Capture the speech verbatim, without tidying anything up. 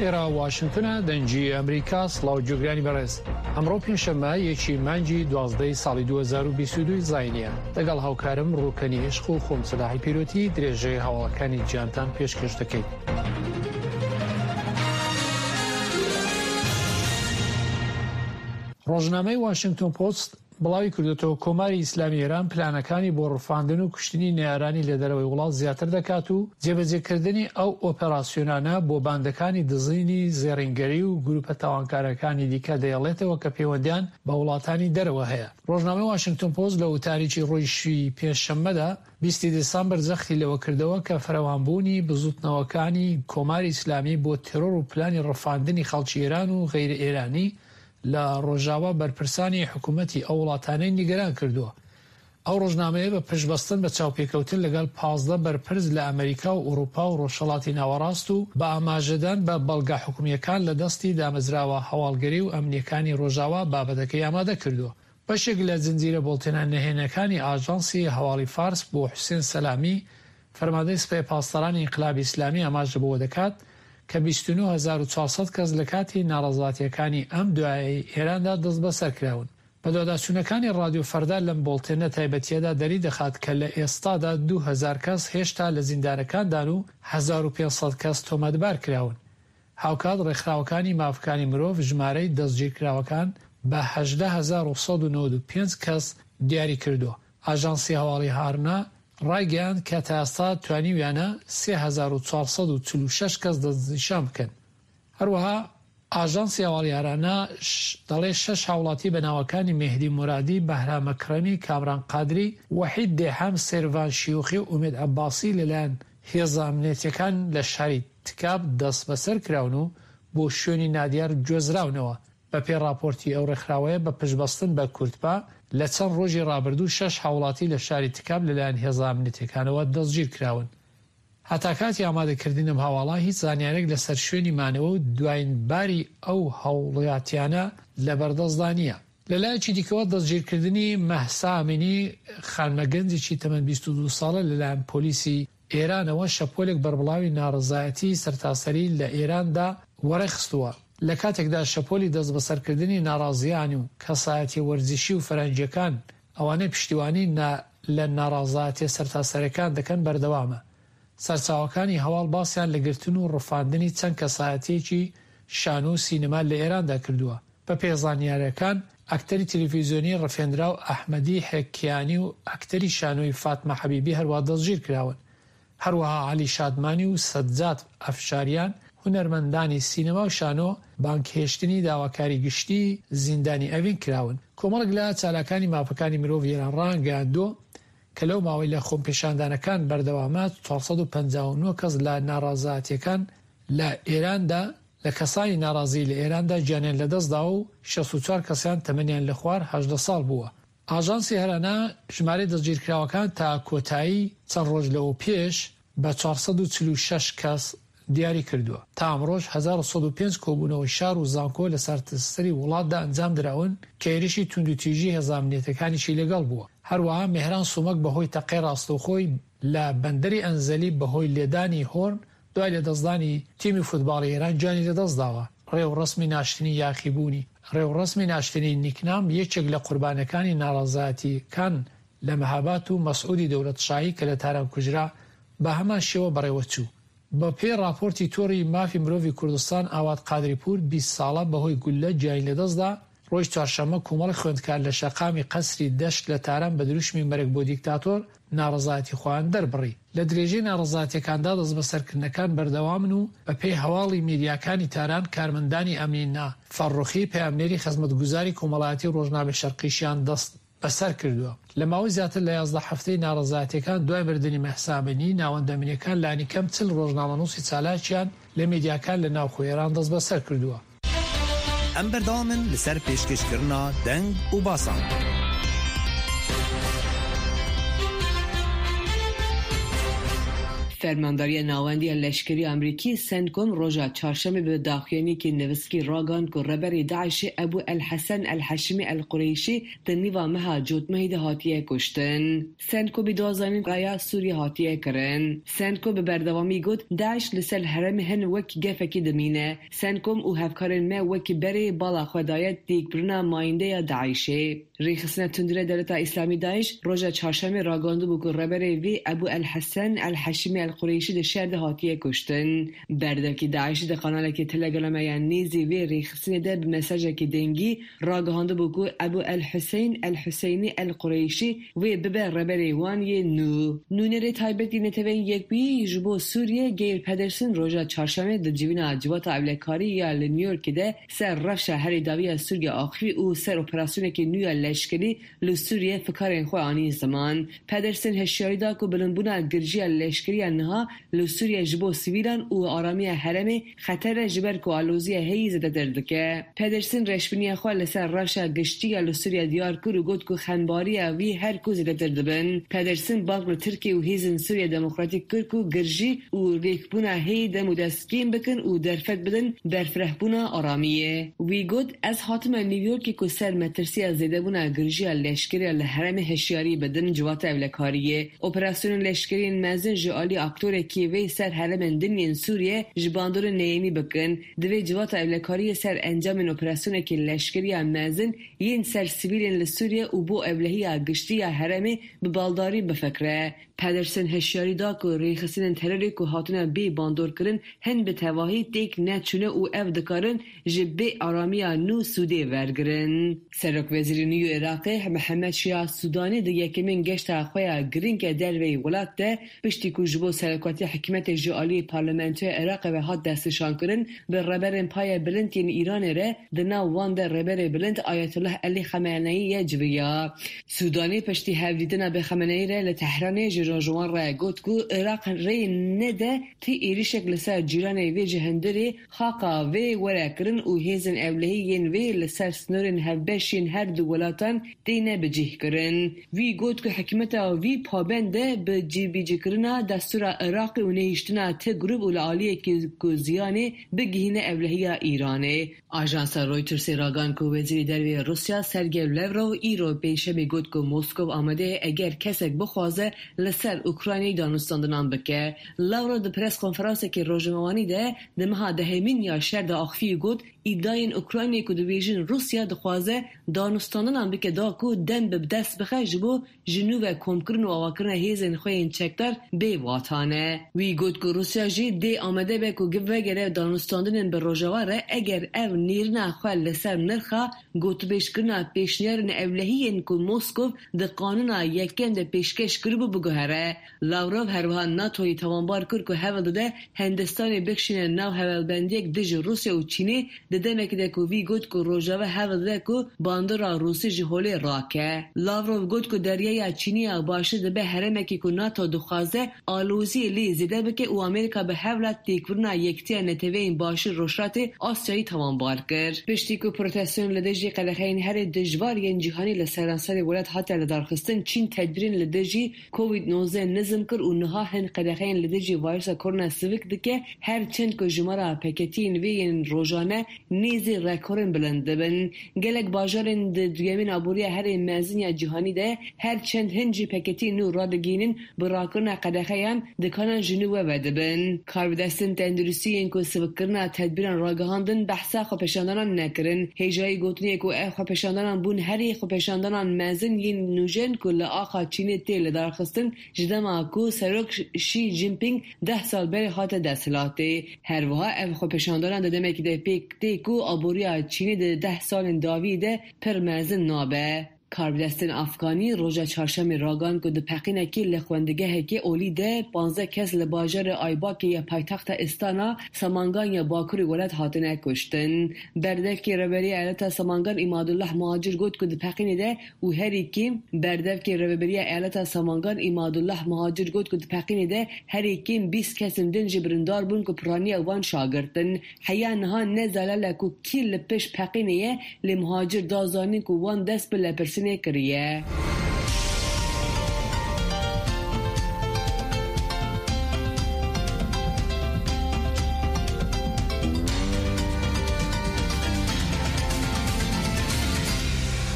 ئێرە واشنگتنە، دەنگی ئەمریکا. سڵاو گوێگرانی بەڕێز، ئەمڕۆ پێنجشەممە یەکی مانگی دوازدەی ساڵی دوو هەزار و بیست و دوو زاینیە. لەگەڵ هاوکارم ڕوکەنی عشق و خۆم سەلاحی پیرۆتی درێژەی هەواڵەکانی جیهانتان پێشکەش دەکەین. ڕۆژنامەی واشنگتۆن پۆست بڵاوی کردوێتەوە کۆماری ئیسلامی ئێران پلانەکانی بۆ ڕفاندن و کوشتنی نەیارانی لە دەرەوەی وڵات زیاتر دەکات و جێبەجێکردنی ئەو ئۆپەراسیۆنانە بۆ باندەکانی دزینی زێڕینگەری و گروپە تاوانکارەکانی دیکە دەیڵێتەوە کە پەیوەندیان بە وڵاتانی دەرەوە هەیە. ڕۆژنامەی واشنگتۆن پۆست لە وتارێکی ڕۆژی پێنجشەممەدا بیستی دێسامبەر جەختی لەوە کردەوە کە فراوانبوونی بزوتنەوەکانی کۆماری ئیسلامی بۆ تێرۆر و پلانی ڕفاندنی خەڵکی ئێران و غەیرە ئێرانی لە ڕۆژاوا بەرپرسانی حکوومەتی ئەو وڵاتانەی نیگەران کردووە. ئەو ڕۆژنامەیە بە پشتبەستن بە چاوپێکەوتن لەگەڵ پازدە بەرپرس لە ئەمریکا و ئەوروپا و ڕۆژهەڵاتی ناوەڕاست و بە ئاماژەدان بە بەڵگە حکومییەکان لە دەستی دامەزراوە هەواڵگەری و ئەمنیەکانی ڕۆژاوا بابەتەکەی ئامادە کردووە. بەشێک لە زنجیرە بۆڵتێنە نهێنەکانی ئاژانسی هەواڵی فارس بۆ حوسێن سەلامی فەرماندەی سپای پاسدارانی ئینقلابی ئیسلامی ئاماژە بەوە دەکات کە بیست و نۆ هەزار و چوار سەد کەس لە کاتی ناڕەزایەتیەکانی ئەم دوایەی ئێراندا دەستبەسەر کراون. بەدواداچوونەکانی ڕادیۆ فەردا لەم بۆڵتێنە تایبەتیەدا دەری دەخات کە لە ئێستادا دوو هەزار کەس هێشتا لە زیندانەکاندان و هەزار و پێنج سەد کەس تۆمەتبار کراون. هاوکات ڕێکخراوەکانی مافەکانی مرۆڤ ژمارەی دەستگیرکراوەکان بە هەژدە هەزار و سەد و نەوەد و پێنج کەس دیاری کردووە. ئاژانسی هەواڵی هارنا ڕایگەیاند کە تا ئێستا توانیویانە سێ هەزار و چوار سەد و چل و شەش کەس دەستنیشان بکەن. هەروەها ئاژانسی هەواڵی هارانا دەڵێ شەش هاوڵاتی بە ناوەکانی مێهدی مورادی، بەهرام ئەکرەمی، کامران قادری، وەحید دێحەم، سێرڤان شیوخی و ئومێد عەباسی لەلایەن هێزە ئەمنیەتیەکان لە شاری تکاب دەستبەسەر کراون و بۆ شوێنی نادیار گوێزراونەوە. بە پێی ڕاپۆرتی ئەو ڕێکخراوەیە بە پشتبەستن بە کوردپا لە چەند ڕۆژی ڕابردوو شەش هاوڵاتی لە شاری تکاب لەلایەن هێزە ئەمنیەتیەکانەوە دەستگیر کراون. هەتا کاتی ئامادەکردنی ئەم هەواڵە هیچ زانیارێک لەسەر شوێنی مانەوە و دوایین باری ئەو هاوڵاتیانە لەبەردەستدا نییە. لەلایەکی دیکەوە دەستگیرکردنی مەهسا ئەمینی خانمە گەنجێکی تەمەن بیست و دوو ساڵە لەلایەن پۆلیسی ئێرانەوە شەپۆلێک بەربڵاوی ناڕەزایەتی سەرتاسەری لە ئێراندا وەڕێخستووە. لە کاتێکدا شەپۆلی دەستبەسەرکردنی ناڕازیان و کەسایەتیە وەرزشی و فەرەنگیەکان ئەوانەی پشتیوانی لە ناڕەزایەتیە سەرتاسەرەکان دەکەن بەردەوامە. سەرچاوەکانی هەواڵ باسیان لە گرتن و ڕفاندنی چەند کەسایەتیەکی شانۆ و سینەما لە ئێراندا کردووە. بە پێی زانیاریەکان ئەکتەری تەلەفیزیۆنی ڕفێندراو ئەحمەدی حەکیانی و ئەکتەری شانۆی فاتمە حەبیبی هەروە دەستگیر کراون. هەروەها عەلی شادمانی و سەجاد ئەفشاریان هونەرمەندانی سینەما و شانۆ بانگهێشتنی داواکاری گشتی زیندانی ئەڤین کراون. کۆمەڵێک لە چالاکانی مافەکانی مرۆڤ ئێران ڕایانگەیاندووە کە لەو ماوەی لە خۆپیشاندانەکان بەردەوامە چوار سەد و پەنجا و نۆ کەس لە ناڕەزایەتیەکان لە ئێراندا لە کەسانی ناڕازی لە ئێراندا گیانیان لەدەستداوە و شەست و چوار کەسیان تەمەنیان لە خوار هەژدە ساڵ بووە. ئاژانسی هەرانا ژمارەی دەستگیرکراوەکان تا کۆتایی چەند ڕۆژ لەوە پێش بە چوار سەد و چل و شەش کەس دیاری کردووە. تا ئەمڕۆژ هەزار و سەد و پێنج کۆبوونەوەی شار و زانکۆ لە سەرتاسەری وڵاتدا ئەنجام دراون کە هێرشی توندوتیژی هێزە ئەمنیەتەکانیشی لەگەڵ بووە. هەروەها مێهران سومەک بەهۆی تەقەی ڕاستەوخۆی لە بەندەری ئەنزەلی بەهۆی لێدانی هۆرن دوای لەدەستدانی تیمی فوتباڵی ئێران گیانی لەدەستداوە. ڕێوڕەسمی ناشتنی یاخیبوونی ڕێوڕەسمی ناشتنی نیکنام یەکێک لە قوربانەکانی ناڕەزایەتیەکان لە مەهابات و مەسعودی دەوڵەتشاهی کە لە تاران کوژرا بە هەمان شێوە بەڕێوەچوو. بە پێی ڕاپۆرتی تۆڕی مافی مرۆڤی کوردستان ئاوات قادریپور بیست ساڵە بەهۆی گوللە گیانی لەدەستدا. ڕۆژی چوارشەممە کۆمەڵی خوێندکار لە شەقامی قەسری دەشت لە تاران بە دروشمی مەرگ بۆ دیکتاتۆر ناڕەزایەتی خۆیان دەربڕی. لە درێژەی ناڕەزایەتیەکاندا دەستبەسەرکردنەکان بەردەوامن و بە پێی هەواڵی میدیاکانی تاران کارمەندانی ئەمنی فەڕوخی پەیامنێری خزمەتگوزاری کۆمەڵایەتی ڕۆژنامەی شەرقیشیان دەست بەسەر کردووە. لە ماوەی زیاتر لە یازدە هەفتەی ناڕەزایەتیەکان دوای مردنی مەهسا ئەمینی ناوەندە ئەمنیەکان لانیکەم چل ڕۆژنامەنووسی چالاکیان لە میدیاکان لە ناوخۆی ئێران دەست بەسەر کردووە. ئەم بەردەوامن لەسەر پێشکەشکردنا دەنگ و باسان. فەرمانداریە ناوەندیە لەشکری ئەمریکی سنتکۆم ڕۆژا چارشەممە بە داخویانیەکی نویسکی ڕاگەیاند کو ڕێبەری داعشی ئەبو ئەلحەسەن ئەلحەشمی ئەلقورەیشی di nîva meha cotmehê de hatiye kuştin. CENTCOMê da zanîn raya Sûriye hatiye kirin. CENTCOM bi berdewamî got Daîş li ser herêmê hin wek gefekê dimîne. CENTCOM û hevkarên me wekî berê bala xwe daye têkbirina mayîndeya Daîşê. Rêxistina Tundrê Dewleta Îslamî Daîş roja çarşemê ragihandibû ku rêberê vê Ebû El-Hesen El-Heşimî El-Qureyşî di şer de hatiye kuştin. Berdevkê Daîşê di kanalekê Telegramê ya nêzî vê rêxistinê de bi mesajekê dengî ragihandibû ku Ebû El-Huseyîn El-Huseynî El-Qureyşî wê bibe rêberê wan yê nû. Nûnerê taybetî Neteweyên Yekbûyî ji bo Sûriye Geir Pedersen roja çarşemê di civîna Civata Ewlekarî ya li New Yorkê de ser rewşa herî dawî ya Sûriye axivî û ser operasyonekê nû ya leşkerî li Sûriye fikarên xwe anî ziman. Pedersen hişyarî da ku bilindbûna girjiya leşkerî ya niha li Sûriye ji bo sivîlan û aramiya herêmê xeter e ji ber ku aloziya heyî zêdetir dike. Pedersen reşbîniya xwe li ser rewşa giştî ya li Sûriye diyar kir û got ku xembariya wî her ku zêdetir dibin. Pedersen bang li Tirkiye û hêzên Sûriye Demokratîk kir ku girjî û rêkbûna heyî dem û dest kêm bikin û derfet bidin berfirehbûna aramiyê. Wî got ez hatime New Yorkê ku ser metirsiya zêdebûna girjiya leşkerî li herêmê hişyarî bidin civata ewlekariyê. Operasyonên leşkeriyên mezin ji alî aktorekî vê ser herêmên din yên Sûriye ji bandorên neyênî bikin. Divê civata ewlekariyê ser encamên operasyonekê leşkeriya mezin yên ser sivîlên li Sûriye û bo ewlehiya giştî ya herêmê bi baldarî bifikre. Pedersen hişyarî da ku rêxistinên terorê ku hatine bê bandorkirin hin bi tevahî têk neçûne û ev dikarin ji bê aramiya nû sûdê wergirin. Serokwezîrê nû yê Iraqê Mihemed Şia Sudanî di yekemîn geşta xwe ya girîng e derveyî welat de piştî ku ji bo serokatiya hikûmetê ji aliyê Parlamentoya Iraqê ve hat destnîşankirin bi rêberên paye bilind yên Îranê re di nav wan de rêberê bilind Ayetullah Elî Xameneyî ye civiya. Sudanî piştî hevdîtina bi Xameneyî re li Tehranê ji rojwan re got ku Iraq rê nede ti êrişek li ser cîranê vê ji hundirê xaka vê were kirin û hêzên ewlehî yên vê li ser sinorên hevbeşên her du welatan têne bicihkirin. Wî got ku hikûmeta wî pabend e bi cîbicîkirina destûra Iraqê û nehiştina ti grûp û li aliyekî ku ziyanê bigihîne ewlehiya Îranê. Ajansa Reutersê ragihand ku Wezîrê Derve Rûsya Sergey Lavrov îro pênşemê got ku Moskow amade ye eger kesek bixwaze li ser Ukraynayê danûstandinan bike. Lavrov di press konferansekê rojnamevanî de di meha dehemîn ya şer de axivî got îdiayên Ukraynayê ku dibêjin Rûsya dixwaze danûstandinan bike da ku dem bi dest bixe ji bo ji nû ve komkirin û avakirina hêzên xwe yên çekdar bê watane. Wî got ku Rûsya jî dê amade be ku vegere danûstandinên bi Rojava re eger ev nêrîna xwe li ser nirxa gotûbêjkirina pêşniyarên ewlehiyên ku Moskow di qanûna yekem de pêşkeş kiribû biguhere. Lavrov herwiha NATOyê tawanbar kir ku hewl dide Hindistanê bikişîne nav hevalbendiyek dijî Rûsya û Çînê di demekê de ku wî got ku Rojava hewl dide ku bandora Rûsî ji holê rake. Lavrov got ku deryaya Çînî ya başûr dibe herêmekê ku NATO dixwaze aloziyê lê zêde bike û Amerîka bi hewla têkbirina Yekîtiya Neteweyên Başûr Rojhilatê Asyayê tawanbar kir. Piştî ku proteston li dijî qedexeyên herî dijwar yên cîhanî li seranserê welat hate lidarxistin, Çîn tedbîrên li dijî Covid nozdeh nizm kir û niha hin qedexeyên li dijî vîrusa korona sivik dike, her çend ku jimara peketiyên vê yên rojane nêzî rekorên bilind dibin. Gelek bajarên di duyemîn aboriya herî mezin ya cîhanî de her çend hin jî peketiyên nû radigihînin bi rakirina qedexeyan dikanan ji nû ve vedibin. Karbidestên tenduristiyên ku sivikkirina tedbîran ragihandin behsa xwepêşandanan nekirin. Hêjayî gotinê ku ev xwepêşandanan bûn herî xwepêşandanan mezin yên nûjen ku li axa Çînê tê lidarxistin ji dema ku Serok Xi Jinping deh sal berê hate desthilatê. Her wiha ev xwepêşandanan di demekê de pêk tê ku aboriya Çînê di deh salên dawî de pir mezin nabe. Karbidestên Afganî roja çarşemê ragihand ku di peqînekê li xwendegehekê olî de panzdeh kes li bajarê Aybakê ya paytexta Istana Samangan ya Bakurê welat hatine kuştin. Berdevkê Rêveberiya Eyaleta Samangan Îmadullah Muhacir got ku di peqînê de û herî kêm Berdevkê Rêveberiya Eyaleta Samangan Îmadullah Muhacir got ku di peqînê de herî kêm bîst kesên din jî birîndar bûn ku piraniya wan şagirtin. Heya niha ne zelal e ku kî li pişt peqînê ye lê Muhacir da zanîn ku wan dest bi lêpirsînê kiriye.